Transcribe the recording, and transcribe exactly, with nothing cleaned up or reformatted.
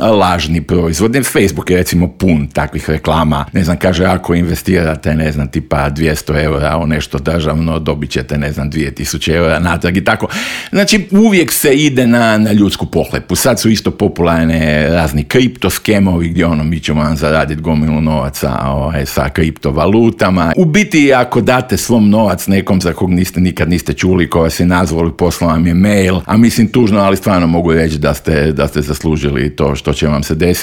lažni proizvod. Facebook je recimo pun takvih reklama. Ne znam, kaže, ako investirate, ne znam, tipa dvjesto eura u nešto državno, dobit ćete, ne znam, dvije tisuće eura natrag i tako. Znači, uvijek se ide na, na ljudsku pohlepu. Sad su isto popularne razni kriptoskemovi gdje ono, mi ćemo vam zaraditi gomilu novaca ovaj, sa kriptovalutama. U biti, ako date svom novac nekom za kog niste, nikad niste čuli, ko vas je nazvali, poslao vam je mail, a mislim tužno, ali stvarno mogu reći da ste, da ste zaslužili to što će vam se desiti.